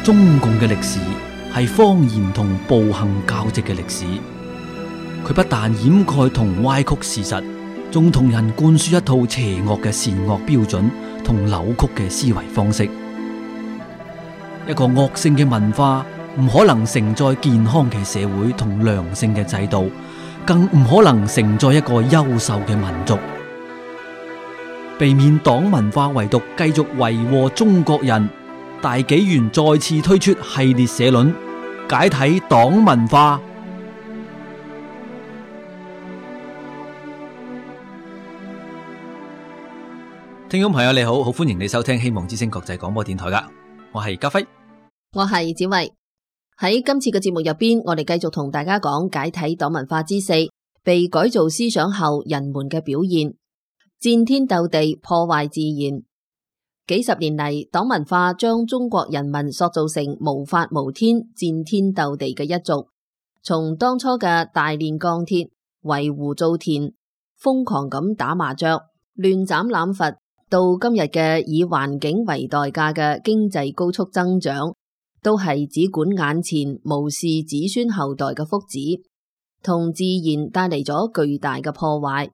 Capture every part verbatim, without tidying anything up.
中共嘅歷史係謊言同暴行交織嘅歷史。佢不但掩蓋同歪曲事實，仲同人灌輸一套邪惡嘅善惡標準同扭曲嘅思維方式。一個惡性嘅文化唔可能承載健康嘅社會同良性嘅制度，更唔可能承載一個優秀嘅民族。避免黨文化遺毒繼續為禍中國人，大紀元再次推出系列社論，解體黨文化。聽眾朋友你好，好歡迎你收聽希望之聲國際廣播電台噶，我係家輝，我係子慧。喺今次嘅節目入邊，我哋繼續同大家講解體黨文化之四，被改造思想後人們嘅表現，戰天鬥地，破壞自然。幾十年嚟，黨文化將中國人民塑造成無法無天、戰天鬥地嘅一族。從當初嘅大煉鋼鐵、圍湖造田、瘋狂咁打麻雀、亂斬濫伐，到今日嘅以環境為代價嘅經濟高速增長，都係只管眼前，無視子孫後代嘅福祉，同自然帶嚟咗巨大嘅破壞。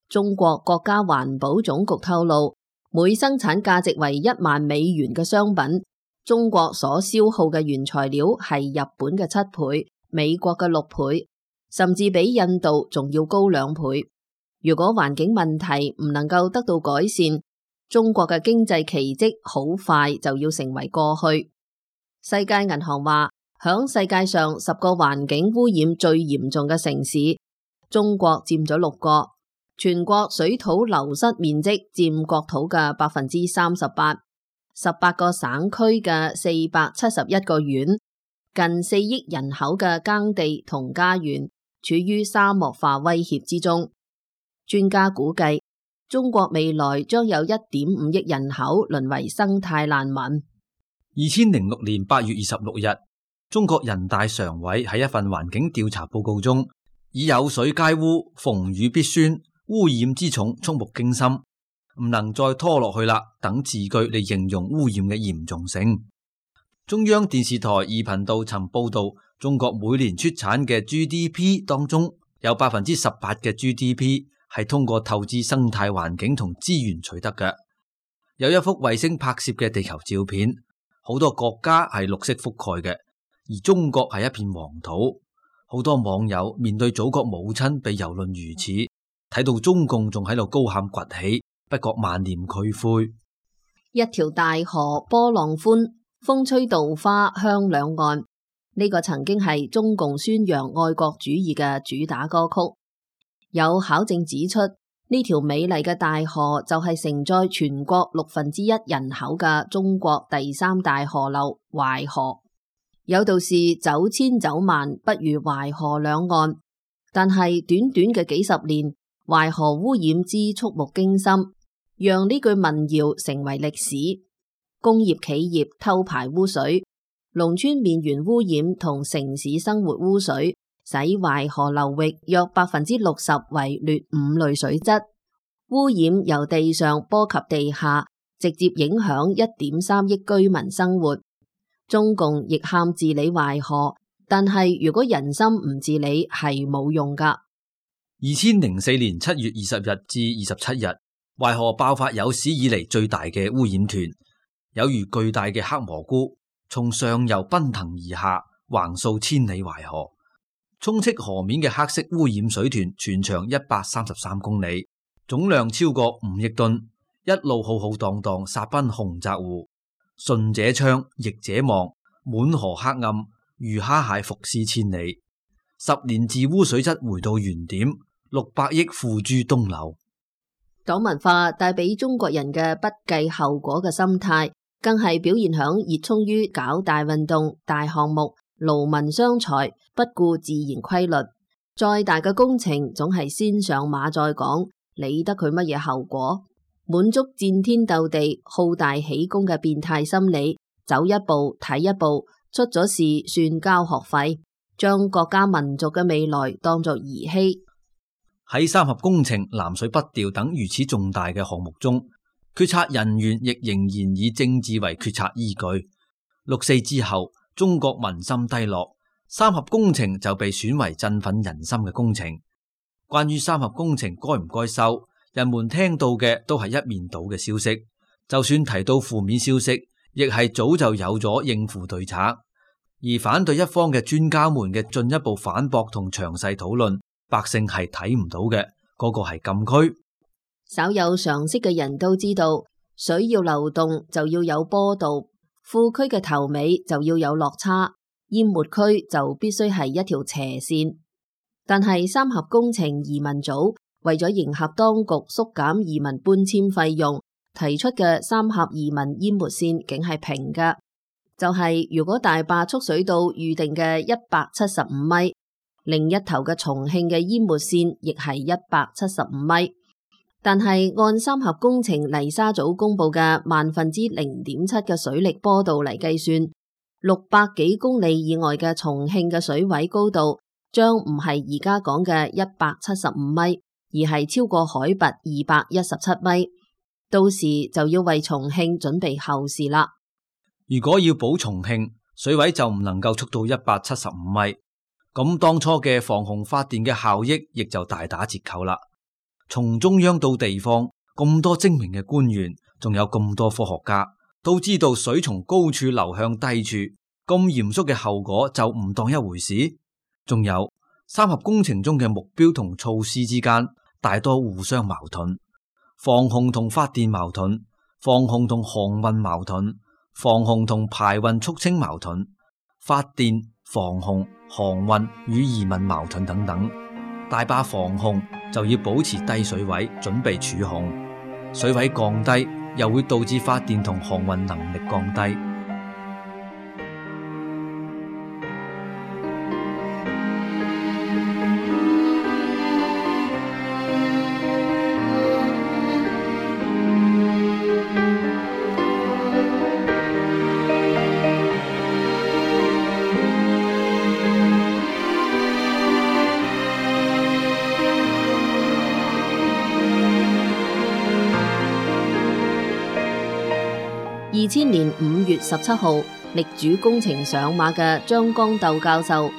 中國國家環保總局透露，每生產價值為一萬美元嘅商品，中國所消耗嘅原材料係日本嘅七倍、美國嘅六倍，甚至比印度仲要高兩倍。如果環境問題唔能夠得到改善，中國嘅經濟奇蹟好快就要成為過去。世界銀行話，響世界上十個環境污染最嚴重嘅城市，中國佔咗六個。全國水土流失面積佔國土嘅百分之三十八，十八個省區嘅四百七十一個縣，近四億人口嘅耕地同家園處於沙漠化威脅之中。專家估計，中國未來將有一點五億人口淪為生態難民。二千零六年八月二十六日，中國人大常委喺一份環境調查報告中，以有水皆污、逢雨必酸、污染之重觸目驚心，唔能再拖落去啦等字句嚟形容污染嘅嚴重性。中央電視台二頻道曾報道，中國每年出產嘅 G D P 當中有百分之十八嘅 G D P 係通過透支生態環境同資源取得嘅。有一幅衛星拍攝嘅地球照片，好多國家係綠色覆蓋嘅，而中國係一片黃土。好多網友面對祖國母親被蹂躪如此，睇到中共仲喺度高喊崛起，不覺萬念俱灰。一條大河波浪寬，風吹稻花香兩岸，呢個曾經係中共宣揚愛國主義嘅主打歌曲。有考證指出，呢條美麗嘅大河就係承載全國六分之一人口嘅中國第三大河流淮河。有道是走千走萬不如淮河兩岸，但係短短嘅幾十年，淮河污染之觸目驚心，讓呢句民謠成為歷史。工業企業偷排污水，農村面源污染同城市生活污水，使淮河流域約百分之六十為劣五類水質。污染由地上波及地下，直接影響一點三億居民生活。中共亦喊治理淮河，但係如果人心唔治理係冇用噶。二千零四年七月二十日至二十七日，淮河爆發有史以嚟最大嘅污染團，有如巨大嘅黑蘑菇，從上游奔騰而下，橫掃千里淮河。充斥河面嘅黑色污染水團全長一百三十三公里，總量超過五億噸，一路浩浩蕩蕩殺奔洪澤湖。順者昌，逆者亡，滿河黑暗，魚蝦蟹伏屍千里。十年治污水質回到原點，六百億付諸東流。黨文化帶俾中國人嘅不計後果嘅心態，更係表現響熱衷於搞大運動、大項目、勞民傷財，不顧自然規律。再大嘅工程，總係先上馬再講，理得佢乜嘢後果？滿足戰天鬥地、好大喜功嘅變態心理，走一步睇一步，出咗事算交學費，將國家民族嘅未來當作兒戲。喺三峽工程、南水北調等如此重大嘅項目中，決策人員亦仍然以政治為決策依據。六四之後，中國民心低落，三峽工程就被選為振奮人心嘅工程。關於三峽工程該唔該收，人們聽到嘅都係一面倒嘅消息，就算提到負面消息，亦係早就有咗應付對策。而反對一方嘅專家們嘅進一步反駁同詳細討論，百姓係睇唔到嘅，嗰個係禁區。稍有常識嘅人都知道，水要流動就要有坡度，庫區嘅頭尾就要有落差，淹沒區就必須係一條斜線。但係三峽工程移民組為咗迎合當局縮減移民搬遷費用，提出嘅三峽移民淹沒線竟係平嘅，就係、是、如果大壩蓄水到預定嘅一百七十五米，另一頭嘅重慶嘅淹沒線亦係一百七十五米。但係按三峽工程泥沙組公布嘅萬分之零點七嘅水力坡度嚟計算，六百幾公里以外嘅重慶嘅水位高度將唔係而家講嘅一百七十五米，而係超過海拔二百一十七米。到時就要為重慶準備後事啦。如果要保重慶，水位就唔能夠速到一百七十五米，咁當初嘅防洪發電嘅效益亦就大打折扣啦。從中央到地方，咁多精明嘅官員，仲有咁多科學家，都知道水從高處流向低處，咁嚴肅嘅後果就唔當一回事。仲有三峽工程中嘅目標同措施之間，大多互相矛盾。防洪同發電矛盾，防洪同航運矛盾，防洪同排運促清矛盾，發電、防洪、航運與移民矛盾等等。大壩防洪就要保持低水位，準備儲洪。水位降低又會導致發電同航運能力降低。二千年五月十七號，力主工程上馬嘅張光鬥教授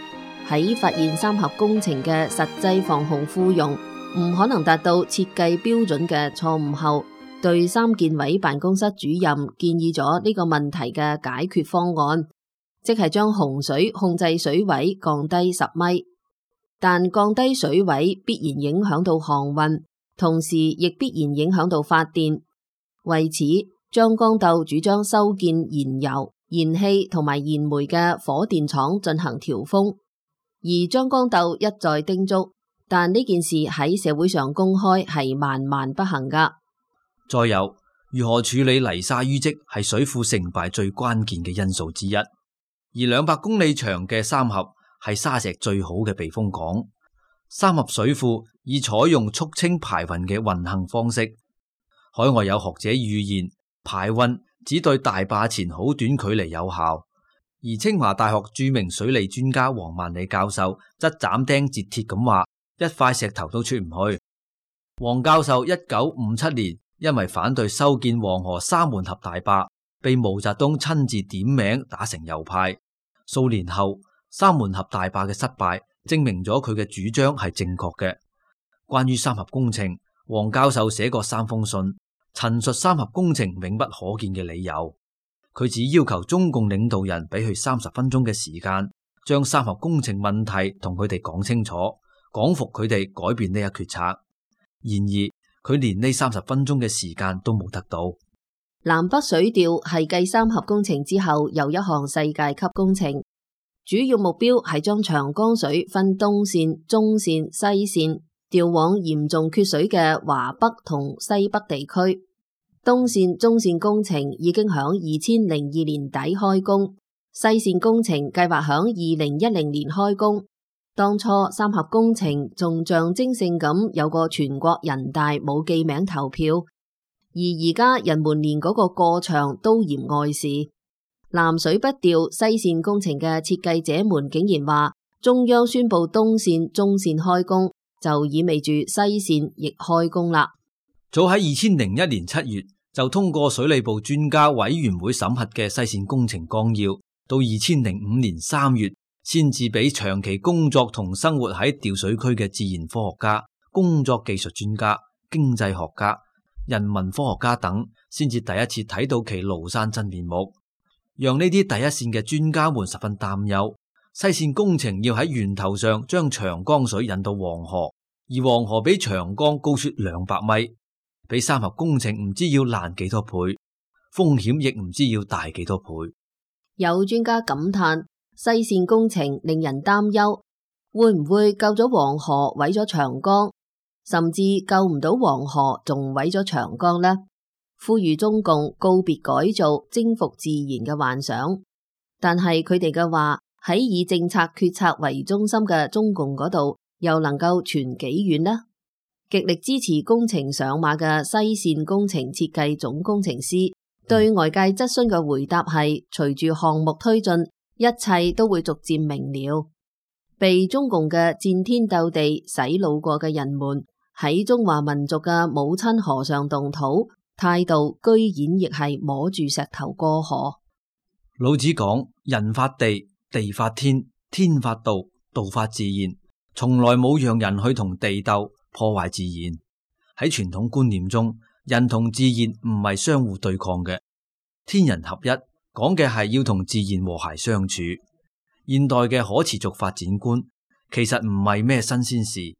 喺發現三峽工程嘅實際防洪庫容唔可能達到設計標準嘅錯誤後，對三建委辦公室主任建議咗呢個問題嘅解決方案，即係將洪水控制水位降低十米。但降低水位必然影響到航運，同時亦必然影響到發電。為此，張光鬥主張修建燃油、燃氣同埋燃煤嘅火電廠進行調峰，而張光鬥一再叮囑，但呢件事喺社會上公開係萬萬不行噶。再有，如何處理泥沙淤積係水庫成敗最關鍵嘅因素之一，而兩百公里長嘅三峽係沙石最好嘅避風港。三峽水庫以採用蓄清排運嘅運行方式，海外有學者預言，排運只對大壩前好短距離有效，而清華大學著名水利專家黃萬里教授則斬釘截鐵咁話，一塊石頭都出唔去。黃教授一九五七年因為反對修建黃河沙門峽大壩，被毛澤東親自點名打成右派。數年後，沙門峽大壩嘅失敗證明咗佢嘅主張係正確嘅。關於三峽工程，黃教授寫過三封信，陳述三峽工程永不可見嘅理由。佢只要求中共領導人俾佢三十分鐘嘅時間，將三峽工程問題同佢哋講清楚，講服佢哋改變呢一決策。然而佢連呢三十分鐘嘅時間都冇得到。南北水調係繼三峽工程之後又一項世界級工程，主要目標係將長江水分東線、中線、西線調往嚴重缺水嘅華北同西北地區。東線、中線工程已經響二千零二年底開工，西線工程計劃響二零一零年開工。當初三峽工程仲象徵性咁有個全國人大冇記名投票，而而家人們連嗰個過場都嫌礙事。南水北調西線工程嘅設計者們竟然話，中央宣布東線、中線開工，就意味住西線亦開工啦。早喺二千零一年七月就通過水利部專家委員會審核嘅西線工程綱要，到二千零五年三月，先至俾長期工作同生活喺調水區嘅自然科學家、工作技術專家、經濟學家、人文科學家等，先至第一次睇到其廬山真面目，讓呢啲第一線嘅專家們十分擔憂。西線工程要喺源頭上將長江水引到黃河，而黃河比長江高出兩百米，比三峽工程唔知要難幾多倍，風險亦唔知要大幾多倍。有專家感嘆，西線工程令人擔憂，會唔會救咗黃河毀咗長江，甚至救唔到黃河仲毀咗長江呢？呼籲中共告別改造征服自然嘅幻想。但係佢哋嘅話喺以政策決策為中心嘅中共嗰度又能夠傳幾遠呢？極力支持工程上馬嘅西線工程設計總工程師對外界質詢嘅回答係：隨住項目推進，一切都會逐漸明了。被中共嘅戰天鬥地洗腦過嘅人們喺中華民族嘅母親河上動土，態度居然亦係摸住石頭過河。老子講：人法地，地法天，天法道，道法自然，從來冇讓人去同地鬥破壞自然。喺傳統觀念中，人同自然唔係相互對抗嘅，天人合一講嘅係要同自然和諧相處。現代嘅可持續發展觀其實唔係咩新鮮事，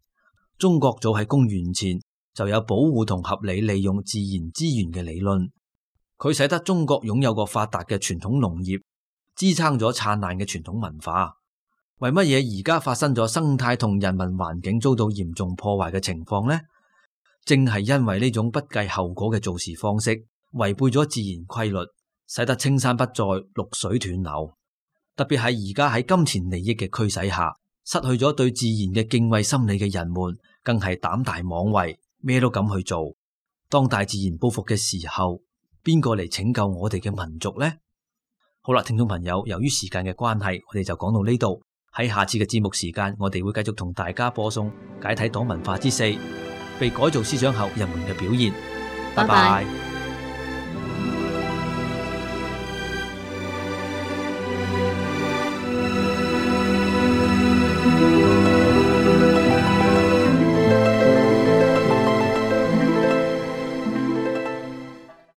中國早喺公元前就有保護同合理利用自然資源嘅理論，佢使得中國擁有個發達嘅傳統農業，支撐咗燦爛嘅傳統文化。為乜嘢而家發生咗生態同人民環境遭到嚴重破壞嘅情況呢？正係因為呢種不計後果嘅做事方式，違背咗自然規律，使得青山不再，綠水斷流。特別係而家喺金錢利益嘅驅使下，失去咗對自然嘅敬畏心理嘅人們，更係膽大妄為，咩都敢去做。當大自然報復嘅時候，邊個嚟拯救我哋嘅民族呢？好啦，聽眾朋友，由於時間嘅關係，我哋就講到呢度。喺下次嘅節目時間，我哋會繼續同大家播送解體黨文化之四，被改造思想後人們嘅表現。拜拜。